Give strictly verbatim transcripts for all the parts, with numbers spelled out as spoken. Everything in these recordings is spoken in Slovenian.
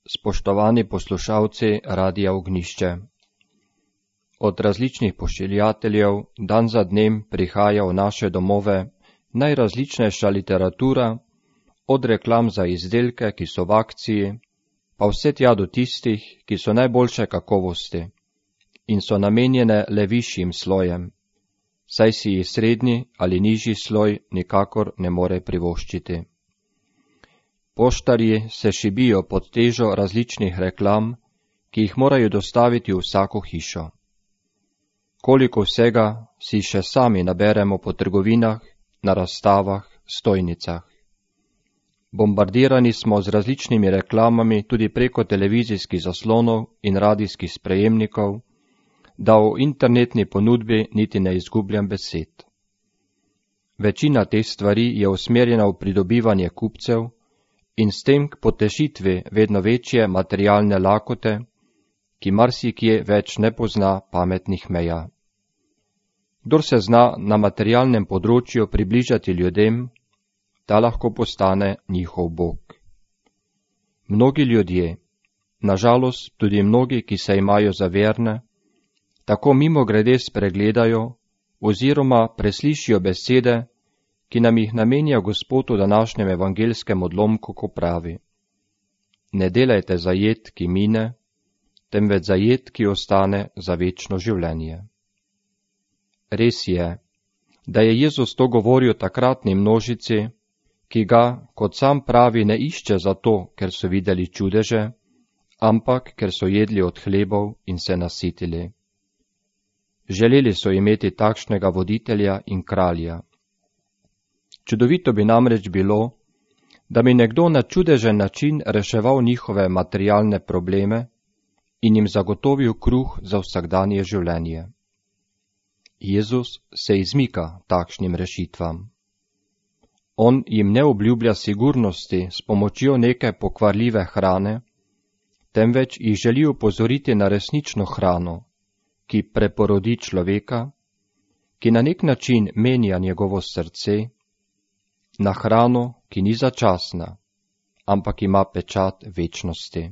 Spoštovani poslušalci Radia Ognjišče. Od različnih pošiljateljev dan za dnem prihaja v naše domove najrazličnejša literatura, od reklam za izdelke, ki so v akciji, pa vse tja do tistih, ki so najboljše kakovosti in so namenjene le višjim slojem, saj si jih srednji ali nižji sloj nikakor ne more privoščiti. Poštarji se šibijo pod težo različnih reklam, ki jih morajo dostaviti v vsako hišo. Koliko vsega si še sami naberemo po trgovinah, na razstavah, stojnicah. Bombardirani smo z različnimi reklamami tudi preko televizijskih zaslonov in radijskih sprejemnikov, da o internetni ponudbi niti ne izgubljam besed. Večina teh stvari je usmerjena v pridobivanje kupcev in s tem k potešitvi vedno večje materialne lakote, ki marsikje več ne pozna pametnih meja. Kdor se zna na materialnem področju približati ljudem, ta lahko postane njihov bog. Mnogi ljudje, nažalost tudi mnogi, ki se imajo za verne, tako mimogrede spregledajo oziroma preslišijo besede, ki nam jih namenja Gospod v današnjem evangelskem odlomku, ko pravi: Ne delajte za jed, ki mine, temveč za jed, ki ostane za večno življenje. Res je, da je Jezus to govoril takratni množici, ki ga, kot sam pravi, ne išče zato, ker so videli čudeže, ampak ker so jedli od hlebov in se nasitili. Želeli so imeti takšnega voditelja in kralja. Čudovito bi namreč bilo, da bi nekdo na čudežen način reševal njihove materialne probleme in jim zagotovil kruh za vsakdanje življenje. Jezus se izmika takšnim rešitvam. On jim ne obljublja sigurnosti s pomočjo neke pokvarljive hrane, temveč jih želi upozoriti na resnično hrano, ki preporodi človeka, ki na nek način menja njegovo srce, na hrano, ki ni začasna, ampak ima pečat večnosti.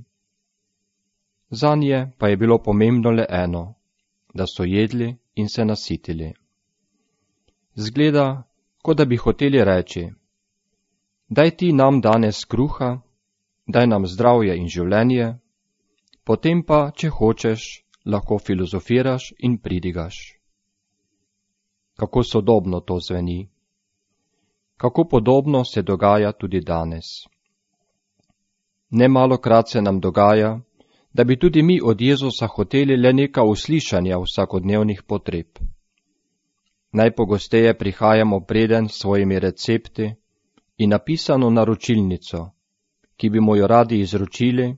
Zanje pa je bilo pomembno le eno, da so jedli in se nasitili. Zgleda, kot da bi hoteli reči: Daj ti nam danes kruha, daj nam zdravje in življenje, potem pa, če hočeš, lahko filozofiraš in pridigaš. Kako sodobno to zveni. Kako podobno se dogaja tudi danes. Nemalokrat se nam dogaja, da bi tudi mi od Jezusa hoteli le neka uslišanja vsakodnevnih potreb. Najpogosteje prihajamo preden s svojimi recepti in napisano naročilnico, ki bi mu jo radi izročili,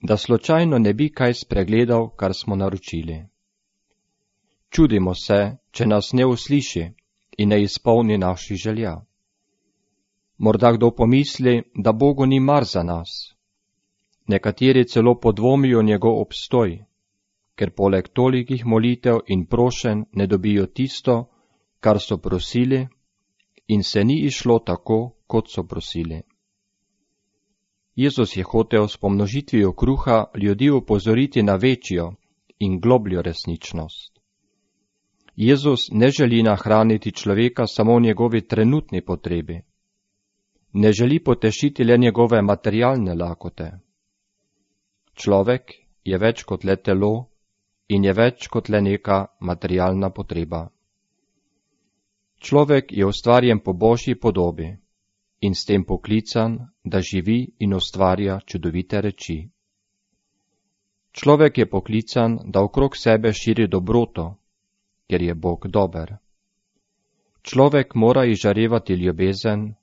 da slučajno ne bi kaj spregledal, kar smo naročili. Čudimo se, če nas ne usliši in ne izpolni naših želja. Morda kdo pomisli, da Bogu ni mar za nas. Nekateri celo podvomijo njegov obstoj, ker poleg tolikih molitev in prošenj ne dobijo tisto, kar so prosili, in se ni išlo tako, kot so prosili. Jezus je hotel s pomnožitvijo kruha ljudi upozoriti na večjo in globljo resničnost. Jezus ne želi nahraniti človeka samo v njegovi trenutni potrebi. Ne želi potešiti le njegove materialne lakote. Človek je več kot le telo in je več kot le neka materialna potreba. Človek je ustvarjen po Božji podobi in s tem poklican, da živi in ustvarja čudovite reči. Človek je poklican, da okrog sebe širi dobroto, ker je Bog dober. Človek mora izžarevati ljubezen,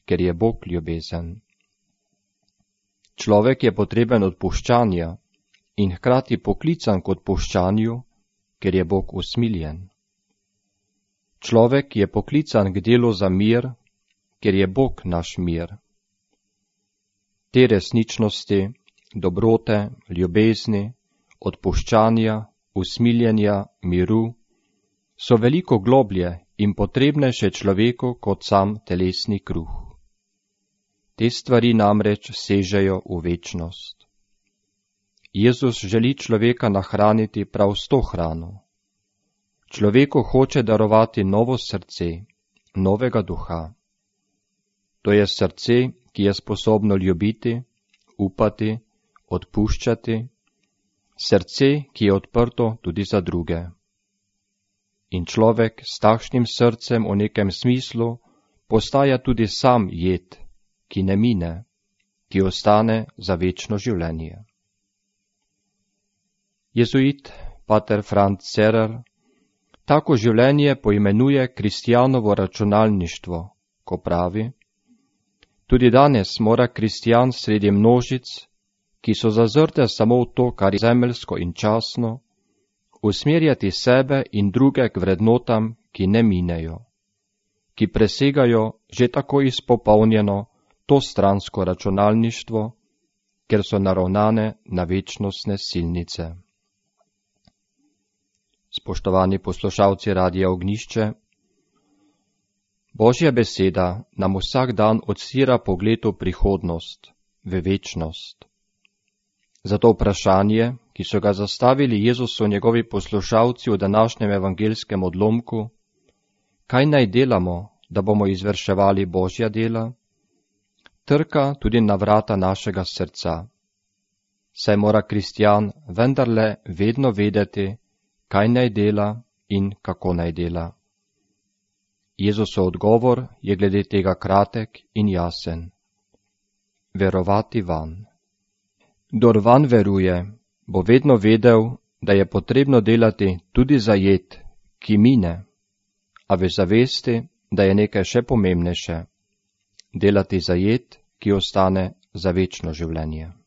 ker je Bog ljubezen. Človek je potreben odpuščanja in hkrati poklican k odpuščanju, ker je Bog usmiljen. Človek je poklican k delu za mir, ker je Bog naš mir. Te resničnosti, dobrote, ljubezni, odpuščanja, usmiljenja, miru so veliko globlje in potrebnejše človeku kot sam telesni kruh. Te stvari namreč sežejo v večnost. Jezus želi človeka nahraniti prav s to hrano. Človeku hoče darovati novo srce, novega duha. To je srce, ki je sposobno ljubiti, upati, odpuščati, srce, ki je odprto tudi za druge. In človek s takšnim srcem v nekem smislu postaja tudi sam jed, ki ne mine, ki ostane za večno življenje. Jezuit pater Franz Cerer tako življenje poimenuje kristjanovo računalništvo, ko pravi: tudi danes mora kristjan sredi množic, ki so zazrte samo v to, kar je zemeljsko in časno, usmerjati sebe in druge k vrednotam, ki ne minejo, ki presegajo že tako izpopolnjeno to stransko računalništvo, ker so naravnane na večnostne silnice. Spoštovani poslušalci Radia Ognjišče, Božja beseda nam vsak dan odstira pogled v prihodnost, v večnost. Zato vprašanje, ki so ga zastavili Jezusu njegovi poslušalci v današnjem evangeljskem odlomku, kaj naj delamo, da bomo izvrševali Božja dela, trka tudi na vrata našega srca. Saj mora kristjan vendarle vedno vedeti, kaj naj dela in kako naj dela. Jezusov odgovor je glede tega kratek in jasen. Verovati vanj. Kdor vanj veruje, bo vedno vedel, da je potrebno delati tudi za jed, ki mine, a v zavesti, da je nekaj še pomembnejše, delati za jed, ki ostane za večno življenje.